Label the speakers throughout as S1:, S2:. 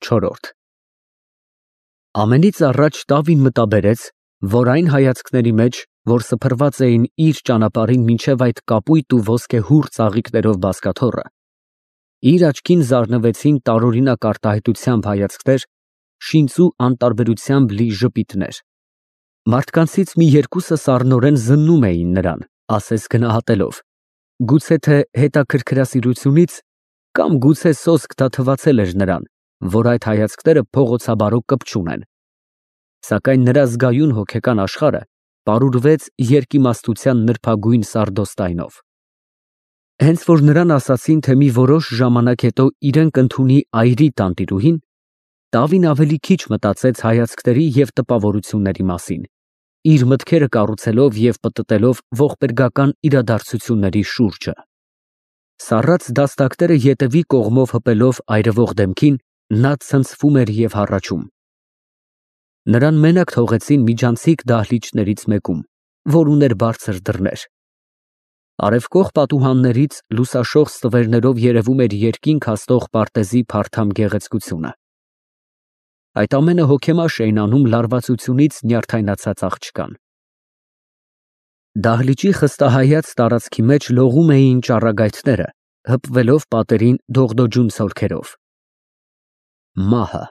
S1: 4 Ամենից առաջ Տավին մտաբերեց, որ այն հայացքների մեջ, որ սփռված էին իր ճանապարհին մինչև այդ կապույտ ու ոսկեհուռ ծաղիկներով բազկաթոռը, իր աչքին զարնվեցին տարօրինակ արտահայտությամբ հայացքներ, շինծու անտարբերությամբ լի ժպիտներ։ Մարդկանցից մի երկուսը սառնորեն զննում էին նրան, ասես գնահատելով, գուցե թե հետաքրքրասիրությունից կամ գուցե սոսկ թվացել էր նրան, որ այդ հայացքները փողոցաբարո կպչուն են։ Սակայն նրա զգայուն հոգեկան աշխարհը պարուրվեց երկիմաստության նրբագույն սարդոստայնով։ Հենց որ նրան ասացին, թե մի որոշ ժամանակ հետո իրեն կընդունի այրի տանտիրուհին, Տավին ավելի քիչ մտածեց հայացքների և տպավորությունների մասին, իր մտքերը կառուցելով և պտտելով ողբերգական իրադարձությունների շուրջը։ Սառած դաստակները ետևի կողմով հպելով այրվող դեմքին, նա ցնցվում էր և հառաչում։ Նրան մենակ թողեցին միջանցիկ դահլիճներից մեկում, որ ուներ բարձր դռներ։ Արևկող պատուհաններից լուսաշող ստվերներով երևում էր երկինք հասնող պարտեզի փարթամ գեղեցկությունը։ Այդ ամենը հոգեմաշ էին անում լարվածությունից նյարդայնացած աղջկան։ Դահլիճի խստահայաց տարածքի մեջ լողում էին ճառագայթները, հպվելով պատերին դողդոջուն ցոլքերով։ Մահը։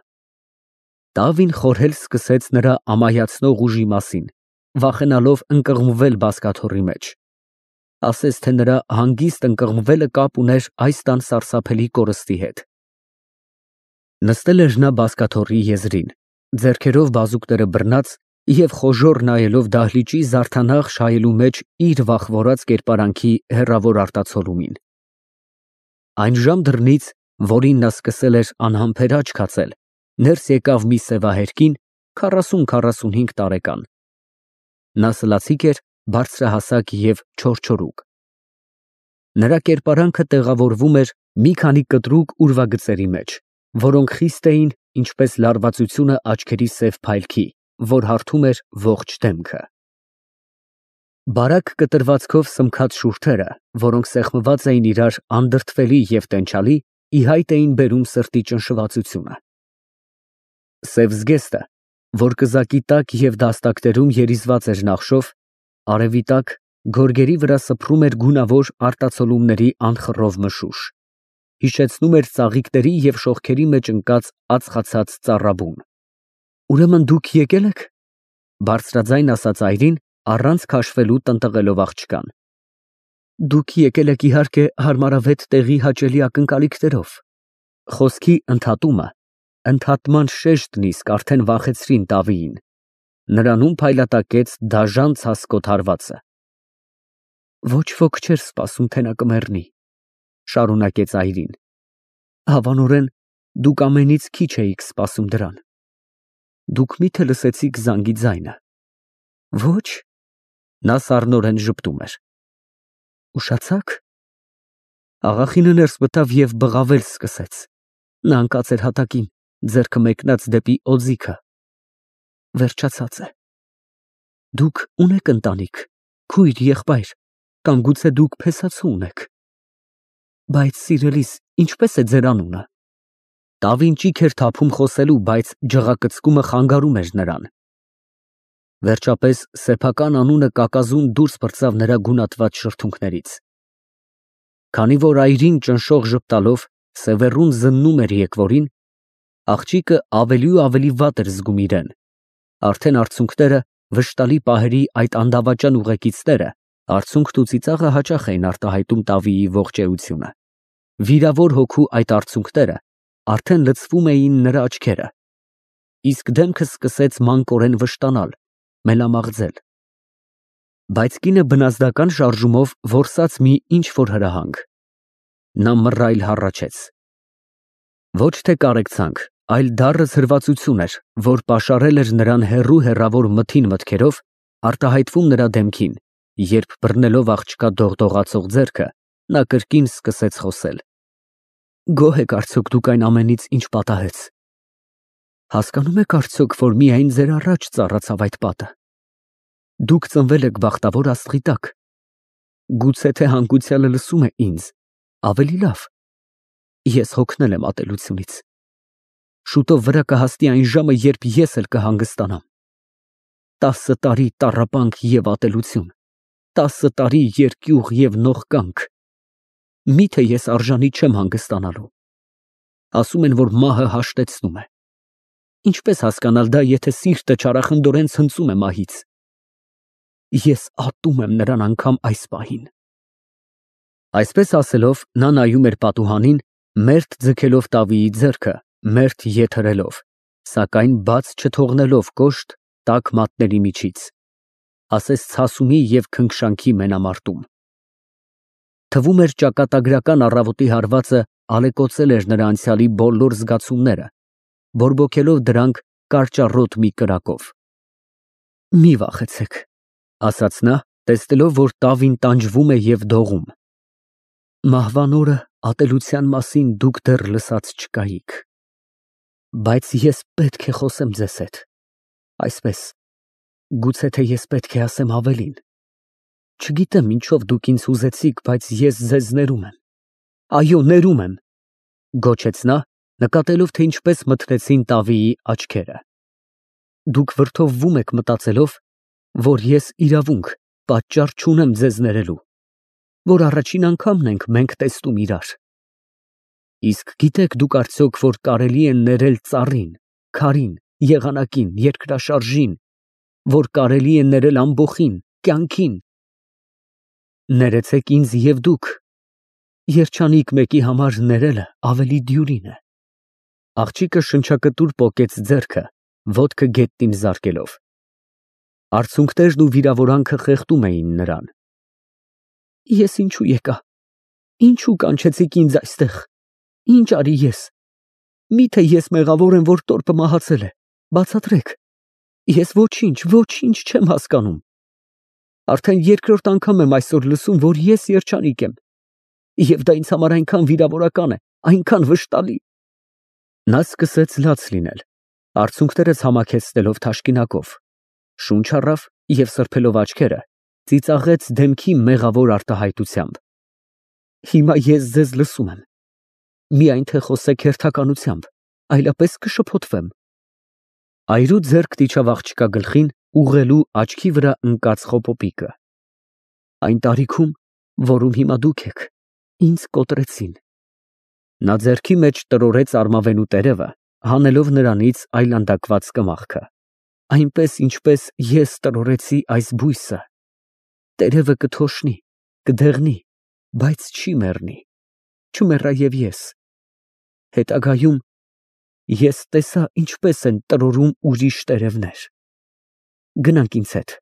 S1: Տավին խորհել սկսեց նրա ամայացնող ուժի մասին, վախենալով ընկղմվել բազկաթոռի մեջ։ Ասես թե նրա հանգիստ ընկղմվելը կապ ուներ այս տան սարսափելի կորստի հետ։ Նստել էր նա բազկաթոռի եզրին, ձեռքերով բազուկները բռնած և խոժոռ նայելով դահլիճի զարդանախշ հայելու մեջ իր վախվորած կերպարանքի հեռավոր արտացոլումին։ Այն ժամ դռնից, որին նա սկսել էր անհամբեր աչք հացել, ներս եկավ մի սևահեր կին, 40-45 տարեկան։ Նա սլացիկ էր, բարձրահասակ և չորչորուկ։ Նրա կերպարանքը տեղավորվում էր մի քանի կտրուկ ուրվագծերի մեջ, որոնք խիստ էին, ինչպես լարվածությունը աչքերի սև փայլքի, որ հարթում էր ողջ դեմքը։ Բարակ կտրվածքով սմքած շուրթերը, որոնք սեղմված էին իրար անդրդվելի և տենչալի, ի հայտ էին բերում սրտի ճնշվածությունը։ Սև զգեստը, որ կզակի տակ և դաստակներում երիզված էր նախշով, արևի տակ գորգերի վրա սփռում էր գունավոր արտացոլումների անխռով մշուշ, հիշեցնում էր ծաղիկների և շողքերի մեջ ընկած ածխացած ծառաբուն։ Ուրեմն դուք եկել եք, բարձրաձայն ասաց այրին, առանց քաշվելու տնտղելով աղջկան։ Դուք եկել եք իհարկե հարմարավետ տեղի հաճելի ակնկալիքներով։ Խոսքի ընդհատումը, ընդհատման շեշտն իսկ արդեն վախեցրին Տավիին։ Նրանում փայլատակեց դաժան ցասկոտ հարվածը։ Ոչ ոք չէր սպասում, թե նա կմեռնի, շարունակեց այրին։ Հավանորեն, դուք ամենից քիչ էիք սպասում դրան։ Դուք մի՞թե լսեցիք զանգի ձայնը։ Ոչ։ Նա սառնորեն ժպտում էր։ Ուշացա՞ք։ Աղախինը ներս մտավ և բղավել սկսեց։ Նա ընկած էր հատակին, ձեռքը մեկնած դեպի օձիքը։ Վերջացած է։ Դուք ունե՞ք ընտանիք, քույր, եղբայր, կամ գուցե դուք փեսացու ունեք։ Բայց սիրելիս, ինչպե՞ս է ձեր անունը։ Տավին ճիգ էր թափում խոսելու, բայց ջղակծկումը խանգարում էր նրան։ Վերջապես սեփական անունը կակազուն դուրս պրծավ նրա գունատված շրթունքներից։ Քանի որ այրին ճնշող ժպտալով սևեռուն զննում էր եկվորին, աղջիկը ավելի ու ավելի վատ էր զգում իրեն։ Արդեն արցունքները, վշտալի պահերի այդ անդավաճան ուղեկիցները, արցունքն ու ծիծաղը հաճախ էին արտահայտում Տավիի ողջ էությունը։ Վիրավոր հոգու այդ արցունքները արդեն լցվում էին նրա աչքերը, իսկ դեմքը սկսեց մանկորեն վշտանալ, մելամաղձել։ Բայց կինը բնազդական շարժումով որսաց մի ինչ֊որ հրահանգ։ Նա մռայլ հառաչեց։ Ոչ թե կարեկցանք, այլ դառը ցրվածություն էր, որ պաշարել էր նրան հեռու մթին մտքերով, արտահայտվում նրա դեմքին, երբ բռնելով աղջկա դողդողացող ձեռքը, նա կրկին սկսեց խոսել։ Գոհ եք արդյոք դուք այն ամենից, ինչ պատահեց։ Հասկանում եք արդյոք, որ միայն ձեր առաջ ծառացավ այդ պատը։ Դուք ծնվել եք բախտավոր աստղի տակ։ Գուցե թե հանգուցյալը լսում է ինձ, ավելի լավ։ Ես հոգնել եմ ատելությունից։ Շուտով վրա կհասնի այն ժամը, երբ ես էլ կհանգստանամ։ 10 տարի տառապանք և ատելություն, 10 տարի երկյուղ և նողկանք։ Միթե ես արժանի չեմ հանգստանալու։ Ասում են, որ մահը հաշտեցնում է։ Ինչպես հասկանալ դա, եթե սիրտը չարախնդորեն ցնծում է մահից։ Ես ատում եմ նրան անգամ այս պահին։ Այսպես ասելով, նա նայում էր պատուհանին, մերթ ձգելով տավիի ձեռքը, մերթ ետ հրելով, սակայն բաց չթողնելով կոշտ, տաք մատների միջից, ասես ցասումի և քնքշանքի մենամարտում։ Թվում էր ճակատագրական առավոտի հարվածը ալեկոծել էր նրա անցյալի բոլոր զգացումները, բորբոքելով դրանք կարճառոտ մի կրակով։ Մի վախեցեք, ասաց նա, տեսնելով, որ տավին տանջվում է և դողում։ Մահվան օրը ատելության մասին դուք դեռ լսած չկայիք։ Բայց ես պետք է խոսեմ ձեզ հետ, այսպես, գուցե թե ես պետք է ասեմ ավելին։ Չգիտեմ ինչով դուք ինձ հուզեցիք, բայց ես ձեզ ներում եմ։ Այո, ներում եմ, գոչեց նա, նկատելով, թե ինչպես մթնեցին տավիի աչքերը։ Դուք վրդովվում եք մտածելով, որ ես իրավունք, պատճառ չունեմ ձեզ ներելու, որ առաջին անգամն ենք մենք տեսնում իրար։ Իսկ գիտեք դուք արդյոք, որ կարելի է ներել ծառին, քարին, եղանակին, երկրաշարժին, որ կարելի է ներել ամբոխին, կյանքին։ Ներեցեք ինձ և դուք, երջանիկ մեկի համար ներելը ավելի դյուրին է։ Աղջիկը շնչակտուր պոկեց ձեռքը, ոտքը գետնին զարկելով։ Արցունքներն ու վիրավորանքը խեղդում էին նրան։ Ես ինչու եկա։ Ինչու կանչեցիք ինձ այստեղ։ Ինչ արի ես։ Միթե ես մեղավոր եմ, որ տորպը մահացել է։ Բացատրեք։ Ես ոչինչ չեմ հասկանում։ Արդեն երկրորդ անգամ եմ այսօր լսում, որ ես երջանիկ եմ։ Եվ դա ինձ համար այնքան վիրավորական է, այնքան վշտալի։ Նա սկսեց լաց լինել, արցունքները ցամաքեցնելով թաշկինակով, շունչ առավ և սրբելով աչքերը, ծիծաղեց դեմքի մեղավոր արտահայտությամբ։ Հիմա ես ձեզ լսում եմ։ Միայն թե խոսեք հերթականությամբ, այլապես կշփոթվեմ։ Այրու ձեռքն իջավ աղջկա գլխին, ուղղելու աչքի վրա ընկած խոպոպիկը։ Այն տարիքում, որում հիմա դուք եք, ինձ կոտրեցին։ Նա ձեռքի մեջ տրորեց արմավենու տերևը, հանելով նրանից այլանդակված կմախքը, այնպես, ինչպես ես տրորեցի այս բույսը։ Տերևը կթոշնի, կդեղնի, բայց չի մեռնի, չմեռա և ես։ Հետագայում ես տեսա, ինչպես են տրորում ուրիշ տերևներ։ Գնանք ինձ հետ։